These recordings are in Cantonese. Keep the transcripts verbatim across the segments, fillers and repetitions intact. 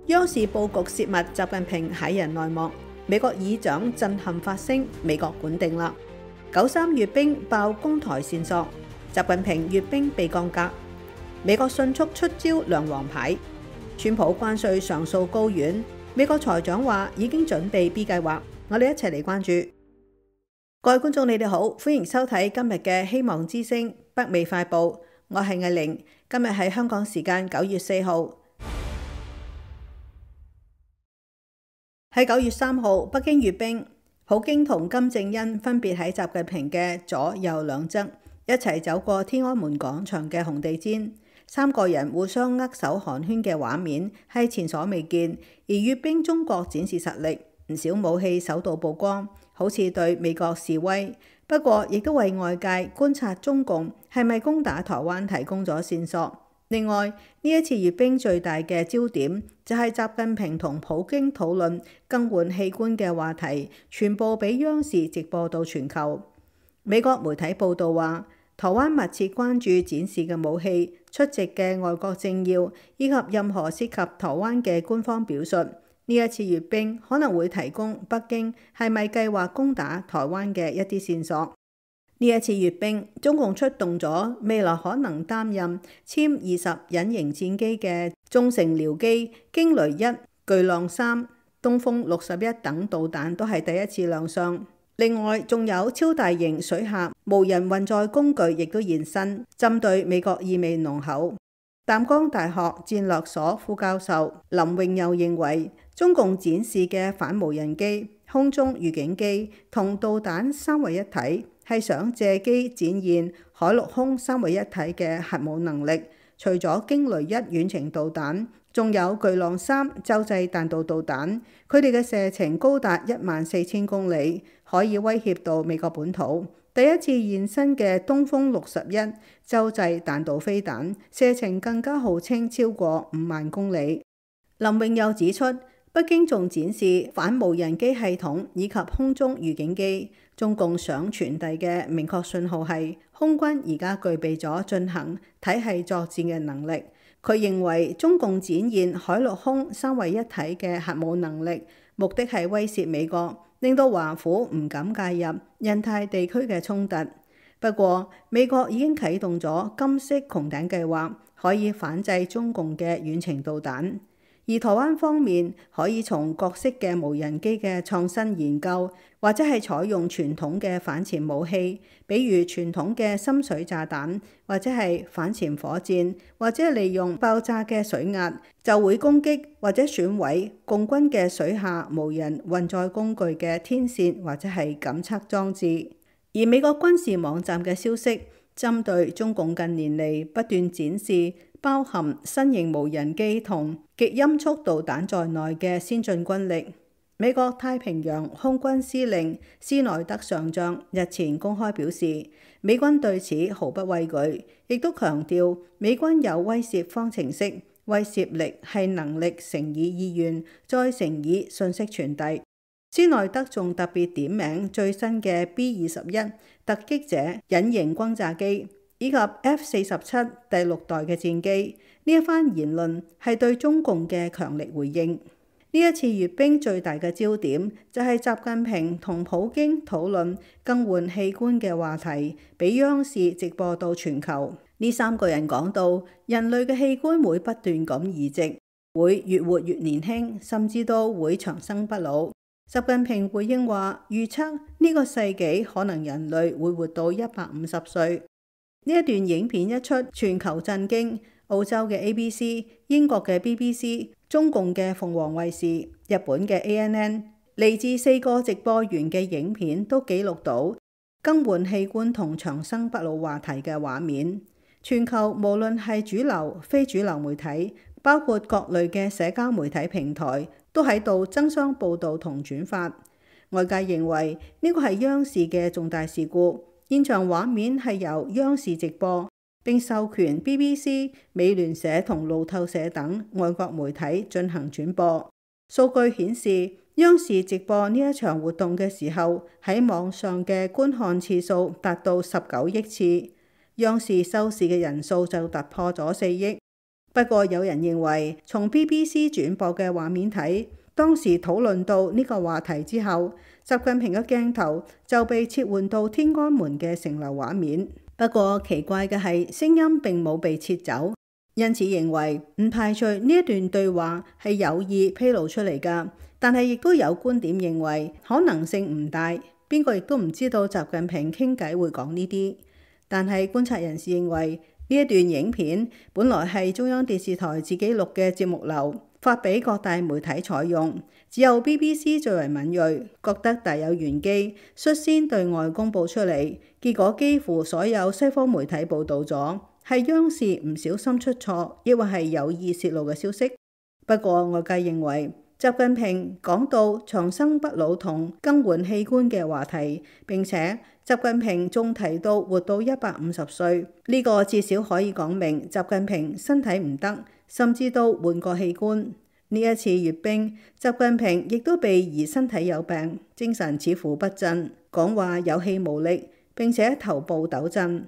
央視佈局泄密，習近平駭人內幕。美國議長震撼發聲，美國管定啦。九三閱兵爆攻台線索，習近平閱兵被降格。美國迅速出招亮黃牌。川普關稅上訴高院，美國財長話已經準備 B 計劃。我哋一齊嚟關注。各位觀眾，你哋好，歡迎收睇今日嘅希望之聲北美快報。我係藝玲，今日係香港時間九月四號。喺九月三號，北京閱兵，普京同金正恩分別喺習近平嘅左右兩側一齊走過天安門廣場嘅紅地毯，三個人互相握手寒暄嘅畫面係前所未見。而閱兵中國展示實力，唔少武器首度曝光，好似對美國示威，不過亦都為外界觀察中共係咪攻打台灣提供咗線索。另外，呢一次閱兵最大嘅焦點就係習近平同普京討論更換器官嘅話題，全部俾央視直播到全球。美國媒體報道話，台灣密切關注展示嘅武器、出席嘅外國政要以及任何涉及台灣嘅官方表述。呢一次閱兵可能會提供北京係咪計劃攻打台灣嘅一啲線索。呢一次閱兵，中共出動咗未來可能擔任殲二十隱形戰機嘅中程僚機驚雷一、巨浪三、東風六十一等導彈都係第一次亮相。另外，仲有超大型水下無人運載工具亦都現身，針對美國意味濃厚。淡江大學戰略所副教授林永佑認為，中共展示嘅反無人機、空中預警機同導彈三位一體，係想借機展現海陸空三位一體嘅核武能力。除咗驚雷一遠程導彈，仲有巨浪三洲際彈道導彈，佢哋嘅射程高達一萬四千公里，可以威脅到美國本土。第一次現身嘅東風六十一洲際彈道飛彈，射程更加號稱超過五萬公里。林永佑指出，北京仲展示反無人機系統以及空中預警機。中共想傳遞嘅明確信號係，空軍而家具備咗進行體系作戰嘅能力。佢認為中共展現海陸空三位一體嘅核武能力，目的係威懾美國，令到華府唔敢介入印太地區嘅衝突。不過，美國已經啟動咗金色穹頂計劃，可以反制中共嘅遠程導彈。而台灣方面可以從各式嘅無人機嘅創新研究，或者係採用傳統嘅反潛武器，比如傳統嘅深水炸彈，或者係反潛火箭，或者利用爆炸嘅水壓，就會攻擊或者損毀共軍嘅水下無人運載工具嘅天線或者係感測裝置。而美國軍事網站嘅消息，針對中共近年嚟不斷展示包含新型無人機同極音速導彈在內嘅先進軍力。美國太平洋空軍司令斯內德上將日前公開表示，美軍對此毫不畏懼，亦都強調美軍有威懾方程式，威懾力係能力乘以意願再乘以信息傳遞。斯內德仲特別點名最新嘅 B 二十一突擊者隱形轟炸機，以及 F 四十七第六代嘅戰機。呢一番言論係對中共嘅強力回應。呢一次閱兵最大嘅焦點就係習近平同普京討論更換器官嘅話題，俾央視直播到全球。呢三個人講到，人類嘅器官會不斷咁移植，會越活越年輕，甚至都會長生不老。習近平回應話，預測呢個世紀可能人類會活到一百五十歲。呢一段影片一出，全球震驚。澳洲嘅 A B C、英國嘅 B B C、中共嘅鳳凰衛視、日本嘅 A N N， 嚟自四個直播源嘅影片都記錄到更換器官同長生不老話題嘅畫面。全球無論係主流、非主流媒體，包括各類嘅社交媒體平台，都喺度爭相報導同轉發。外界認為呢個係央視嘅重大事故。現場畫面係由央視直播，並授權 B B C、美聯社同路透社等外國媒體進行轉播。數據顯示，央視直播呢一場活動嘅時候，喺網上嘅觀看次數達到十九億次，央視收視嘅人數就突破咗四億。不過有人認為，從 B B C 轉播嘅畫面睇，當時討論到呢個話題之後，習近平嘅鏡頭就被切換到天安門嘅城樓畫面。不過奇怪嘅係，聲音並冇被撤走，因此認為唔排除呢一段對話係有意披露出嚟㗎。但係亦都有觀點認為可能性唔大，邊個亦都唔知道習近平傾偈會講呢啲。但係觀察人士認為，呢一段影片本來係中央電視台自己錄嘅節目流，發俾各大媒體採用，只有 B B C 最為敏銳，覺得大有玄機，率先對外公佈出嚟。結果幾乎所有西方媒體報導咗，係央視唔小心出錯，抑或係有意泄露嘅消息。不過外界認為，習近平講到長生不老同更換器官嘅話題，並且習近平仲提到活到一百五十歲，呢個至少可以講明習近平身體唔得，甚至都換過器官。呢一次閱兵，習近平亦都被疑身體有病，精神似乎不振，講話有氣無力，並且頭部抖震。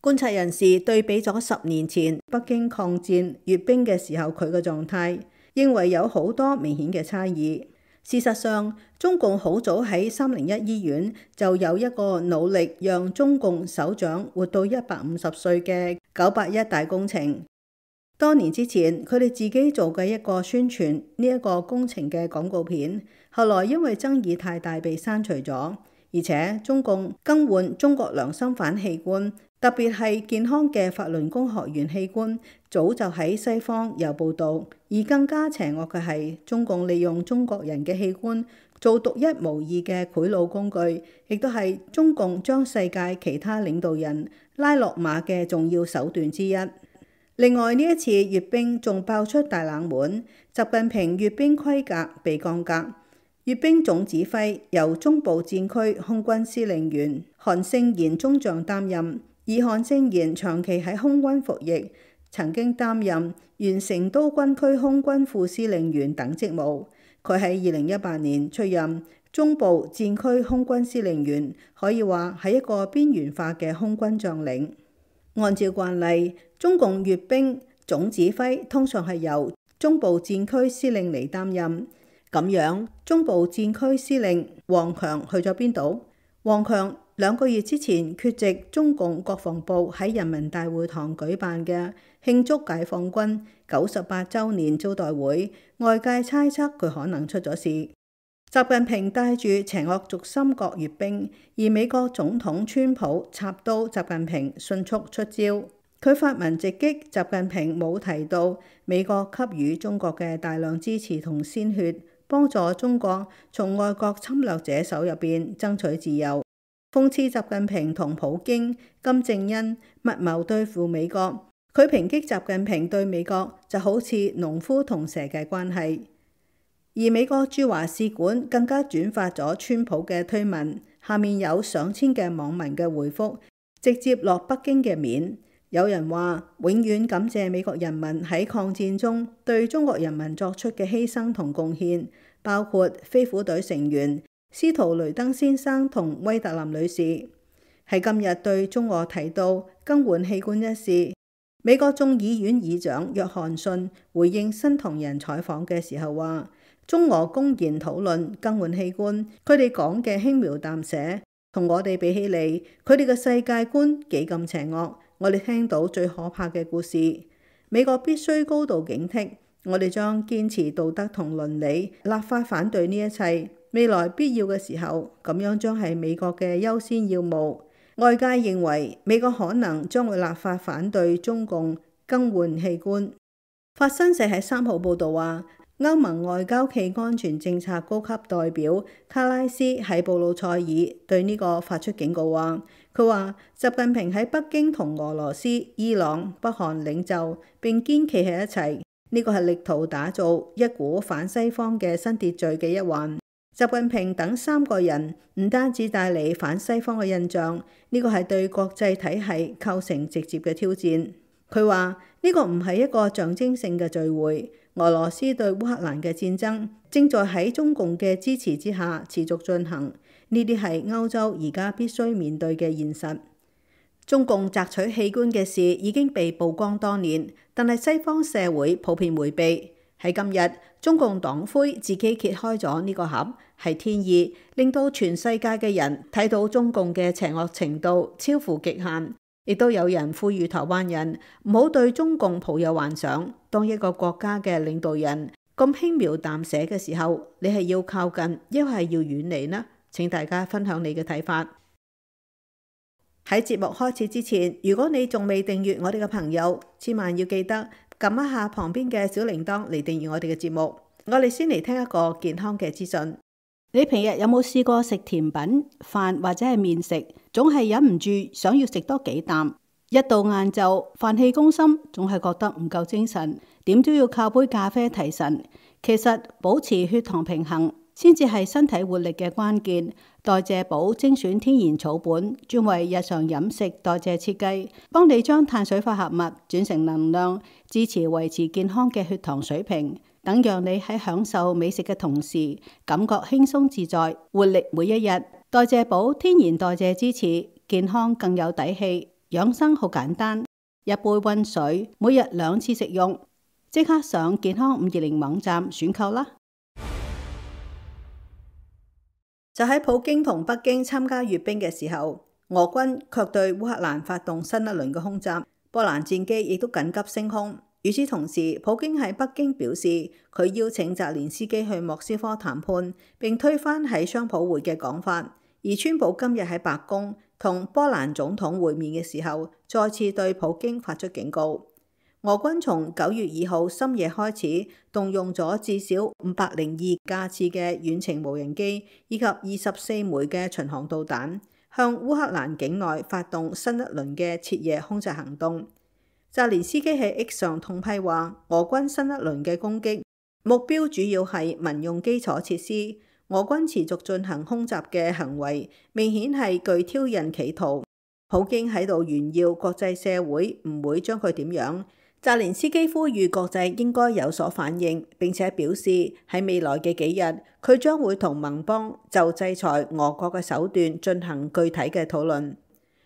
觀察人士對比咗十年前北京抗戰閱兵嘅時候佢嘅狀態，認為有好多明顯嘅差異。事實上，中共好早喺三零一醫院就有一個努力讓中共首長活到一百五十歲嘅九八一大工程。多年之前，佢哋自己做嘅一個宣傳呢一個工程嘅廣告片，後來因為爭議太大被刪除咗。而且中共更換中國良心犯器官，特別係健康嘅法輪功學員器官，早就喺西方有報導。而更加邪惡嘅係，中共利用中國人嘅器官做獨一無二嘅賄賂工具，亦都係中共將世界其他領導人拉落馬嘅重要手段之一。另外呢一次閱兵仲爆出大冷門，習近平閱兵規格被降格。閱兵總指揮由中部戰區空軍司令員韓勝賢中將擔任，而韓勝賢長期喺空軍服役，曾經擔任原成都軍區空軍副司令員等職務。佢喺二零一八年出任中部戰區空軍司令員，可以話係一個邊緣化嘅空軍將領。按照慣例，中共閱兵總指揮通常係由中部戰區司令嚟擔任。咁樣，中部戰區司令王強去咗邊度？王強兩個月之前缺席中共國防部喺人民大會堂舉辦嘅慶祝解放軍九十八週年招待會，外界猜測佢可能出咗事。習近平帶住邪惡軸心國閱兵，而美國總統川普插刀習近平迅速出招。佢發文直擊習近平冇提到美國給予中國嘅大量支持同鮮血，幫助中國從外國侵略者手入邊爭取自由，諷刺習近平同普京、金正恩密謀對付美國。佢抨擊習近平對美國就好似農夫同蛇嘅關係。而美國駐華使館更加轉發咗川普嘅推文，下面有上千嘅網民嘅回覆，直接落北京嘅面。有人話永遠感謝美國人民喺抗戰中對中國人民作出嘅犧牲同貢獻，包括飛虎隊成員司徒雷登先生同威特林女士。喺今日對中俄提到更換器官一事，美國眾議院議長約翰遜回應新唐人採訪嘅時候話，中俄公然討論更換器官，佢哋講嘅輕描淡寫，同我哋比起嚟，佢哋嘅世界觀幾咁邪惡。我哋聽到最可怕嘅故事，美國必須高度警惕。我哋將堅持道德同倫理，立法反對呢一切。未來必要嘅時候，咁樣將係美國嘅優先要務。外界認為美國可能將會立法反對中共更換器官。法新社喺三號報導話，歐盟外交暨安全政策高級代表卡拉斯喺布魯塞爾對呢個發出警告話，佢話習近平喺北京同俄羅斯、伊朗、北韓領袖並肩企喺一齊，呢個係力圖打造一股反西方嘅新秩序嘅一環。習近平等三個人唔單止帶嚟反西方嘅印象，呢個係對國際體系構成直接嘅挑戰。佢話呢個唔係一個象徵性嘅聚會。俄羅斯對烏克蘭嘅戰爭正在喺中共嘅支持之下持續進行，呢啲係歐洲而家必須面對嘅現實。中共摘取器官嘅事已經被曝光多年，但係西方社會普遍迴避。喺今日，中共黨魁自己揭開咗呢個盒，係天意，令到全世界嘅人睇到中共嘅邪惡程度超乎極限。亦都有人呼籲台灣人唔好對中共抱有幻想。當一個國家嘅領導人咁輕描淡寫嘅時候，你係要靠近，抑或係要遠離呢？請大家分享你嘅睇法。喺節目開始之前，如果你仲未訂閱我哋嘅朋友，千萬要記得撳一下旁邊嘅小鈴鐺嚟訂閱我哋嘅節目。我哋先嚟聽一個健康嘅資訊。你平日有冇試過食甜品、飯或者係麵食，總係忍唔住想要食多幾啖？一到晏晝，飯氣攻心，總係覺得唔夠精神，點都要靠杯咖啡提神。其實保持血糖平衡先至係身體活力嘅關鍵。代謝寶精選天然草本，專為日常飲食代謝設計，幫你將碳水化合物轉成能量，支持維持健康嘅血糖水平，等讓你喺享受美食嘅同時，感覺輕鬆自在，活力每一日。代謝寶天然代謝支持，健康更有底氣。養生好簡單，一杯溫水，每日兩次食用。即刻上健康五二零網站選購啦！就喺普京同北京參加閱兵嘅時候，俄軍卻對烏克蘭發動新一輪嘅空襲，波蘭戰機亦都緊急升空。與此同時，普京喺北京表示，佢邀請澤連斯基去莫斯科談判，並推翻喺商討會嘅講法。而川普今日喺白宮同波蘭總統會面嘅時候，再次對普京發出警告。俄軍從九月二號深夜開始動用咗至少五百零二架次嘅遠程無人機，以及二十四枚嘅巡航導彈，向烏克蘭境內發動新一輪嘅徹夜空襲行動。澤連斯基喺 X 上痛批話，俄軍新一輪嘅攻擊目標主要係民用基礎設施。俄軍持續進行空襲嘅行為，明顯係具挑釁企圖。普京喺度炫耀國際社會唔會將佢點樣。澤連斯基呼籲國際應該有所反應，並且表示喺未來嘅幾日，佢將會同盟邦就制裁俄國嘅手段進行具體嘅討論。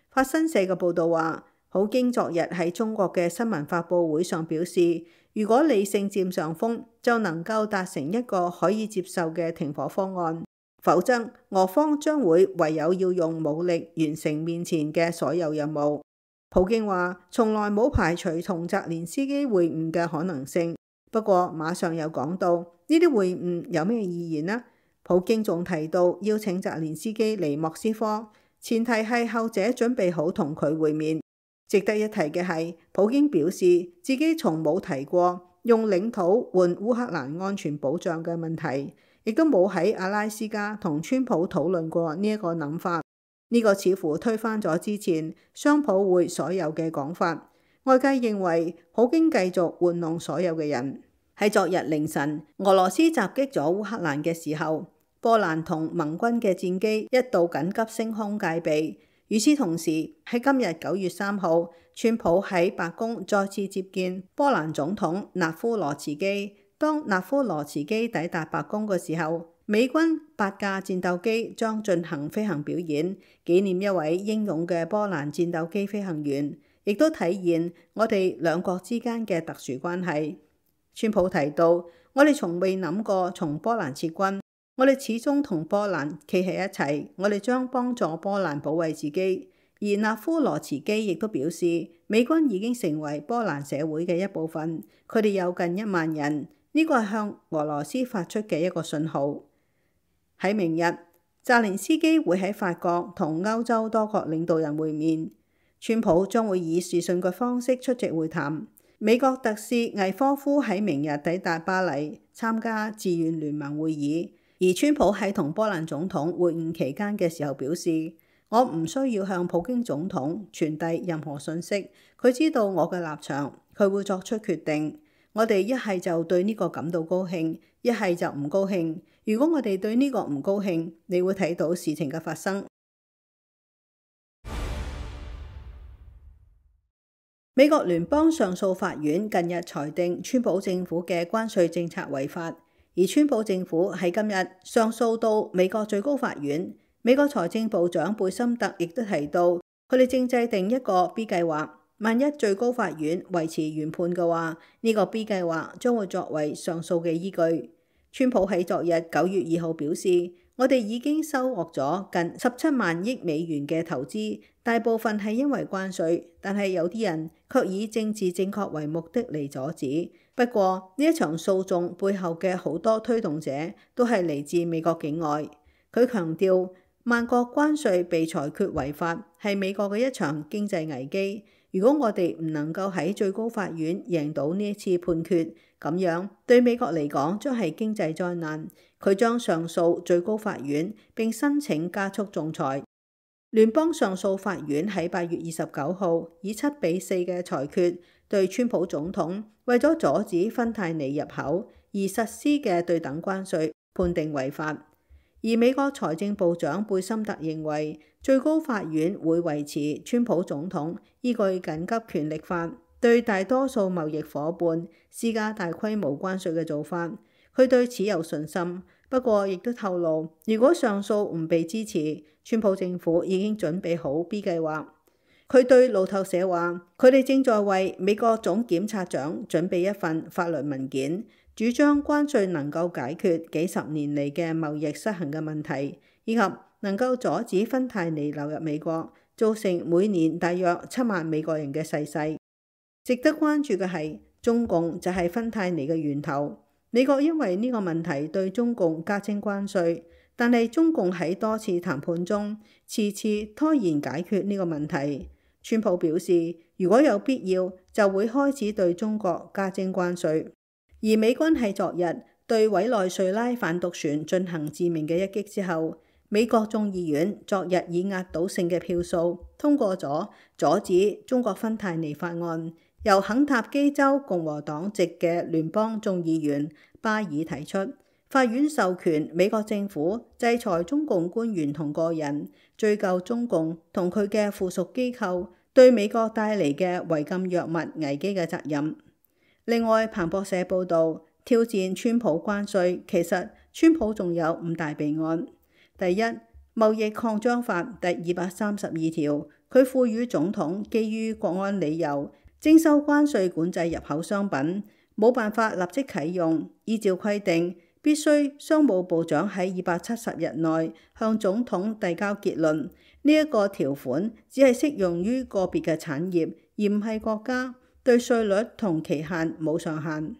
法新社嘅報導話，普京昨日喺中國嘅新聞發佈會上表示，如果理性佔上風，就能夠達成一個可以接受嘅停火方案，否則俄方將會唯有要用武力完成面前嘅所有任務。普京話從來冇排除同澤連斯基會晤嘅可能性，不過馬上又講到呢啲會晤有咩意義呢？普京仲提到邀請澤連斯基嚟莫斯科，前提係後者準備好同佢會面。值得一提嘅係，普京表示自己從冇提過用領土換烏克蘭安全保障嘅問題，亦都冇喺阿拉斯加同川普討論過呢一個諗法。呢個似乎推翻咗之前商討會所有嘅講法。外界認為普京繼續玩弄所有嘅人。喺昨日凌晨，俄羅斯襲擊咗烏克蘭嘅時候，波蘭同盟軍嘅戰機一度緊急升空戒備。與此同時，喺今日九月三號，川普喺白宮再次接見波蘭總統納夫羅茨基。當納夫羅茨基抵達白宮嘅時候，美軍八架戰鬥機將進行飛行表演，紀念一位英勇嘅波蘭戰鬥機飛行員，亦都體現我哋兩國之間嘅特殊關係。川普提到，我哋從未諗過從波蘭撤軍，我哋始終同波蘭企喺一齊，我哋將幫助波蘭保衛自己。而納夫羅茨基亦都表示，美軍已經成為波蘭社會嘅一部分，佢哋有近一萬人，呢個係向俄羅斯發出嘅一個信號。喺明日，澤連斯基會喺法國同歐洲多國領導人會面，川普將會以視訊嘅方式出席會談。美國特使魏科夫喺明日抵達巴黎參加志願聯盟會議，而川普喺同波蘭總統會晤期間嘅時候表示，我唔需要向普京總統傳遞任何信息，佢知道我嘅立場，佢會作出決定。我哋一係就對呢個感到高興，一係就唔高興。如果我哋對呢個唔高興，你會睇到事情嘅發生。美國聯邦上訴法院近日裁定川普政府嘅關稅政策違法，而川普政府喺今日上訴到美國最高法院。美國財政部長貝森特亦都提到，佢哋正制定一個 B 計劃，萬一最高法院維持原判嘅話，呢個 B 計劃將會作為上訴嘅依據。川普喺昨日九月二號表示，我哋已經收穫咗近十七萬億美元嘅投資，大部分係因為關稅，但係有啲人卻以政治正確為目的嚟阻止。不過呢一場訴訟背後嘅好多推動者都係嚟自美國境外。佢強調，萬國關稅被裁決違法係美國嘅一場經濟危機。如果我哋唔能夠喺最高法院贏到呢一次判決，咁樣對美國嚟講將係經濟災難。佢將上訴最高法院並申請加速仲裁。聯邦上訴法院喺八月二十九號以七比四嘅裁決對川普總統為咗阻止芬太尼入口而實施嘅對等關稅判定違法。而美國財政部長貝森特認為，最高法院會維持川普總統依據緊急權力法對大多數貿易夥伴施加大規模關稅嘅做法。佢對此有信心，不過亦都透露，如果上訴唔被支持，川普政府已經準備好 B 計劃。佢對路透社話，佢哋正在為美國總檢察長準備一份法律文件，主張關稅能夠解決幾十年嚟嘅貿易失衡嘅問題，以及能夠阻止芬太尼流入美國，造成每年大約七萬美國人嘅逝世。值得關注嘅係，中共就係芬太尼嘅源頭。美國因為呢個問題對中共加徵關稅，但係中共喺多次談判中遲遲拖延解決呢個問題。川普表示，如果有必要，就會開始對中國加徵關稅。而美軍喺昨日對委內瑞拉反毒船進行致命嘅一擊之後，美國眾議院昨日以壓倒性嘅票數通過咗阻止中國芬太尼法案，由肯塔基州共和黨籍嘅聯邦眾議員巴爾提出，法院授權美國政府制裁中共官員同個人，追究中共同佢嘅附屬機構對美國帶嚟嘅違禁藥物危機嘅責任。另外，彭博社報導，挑戰川普關稅，其實川普仲有五大備案。第一，貿易擴張法第二百三十二條，佢賦予總統基於國安理由徵收關稅管制入口商品，冇辦法立即啟用。依照規定，必須商務部長喺二百七十日內向總統遞交結論。呢一個條款只係適用於個別嘅產業，而唔係國家。對稅率同期限冇上限。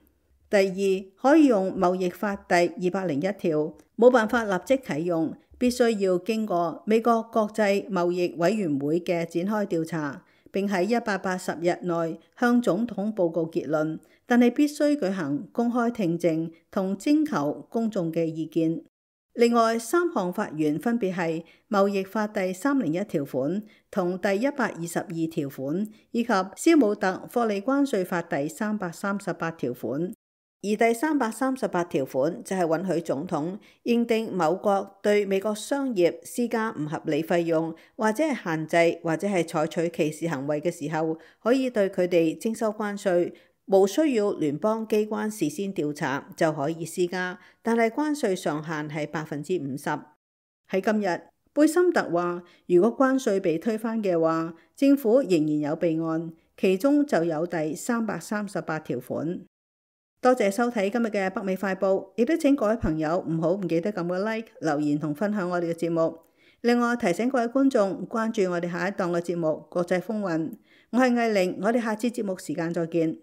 第二，可以用貿易法第二百零一條，冇辦法立即啟用，必須要經過美國國際貿易委員會嘅展開調查，並喺一百八十日內向總統報告結論，但係必須舉行公開聽證同徵求公眾嘅意見。另外三項法源分別係貿易法第三零一條款同第一百二十二條款，以及斯姆特霍利關稅法第三百三十八條款。而第三百三十八條款就係允許總統認定某國對美國商業施加唔合理費用，或者係限制，或者係採取歧視行為嘅時候，可以對佢哋徵收關稅。無需要聯邦機關事先調查就可以施加，但係關稅上限係百分之五十。喺今日，貝森特話，如果關稅被推翻嘅話，政府仍然有備案，其中就有第三百三十八條款。多謝收睇今日嘅北美快報，亦都請各位朋友唔好唔記得撳個 like、留言同分享我哋嘅節目。另外提醒各位觀眾關注我哋下一檔嘅節目《國際風雲》。我係藝玲，我哋下次節目時間再見。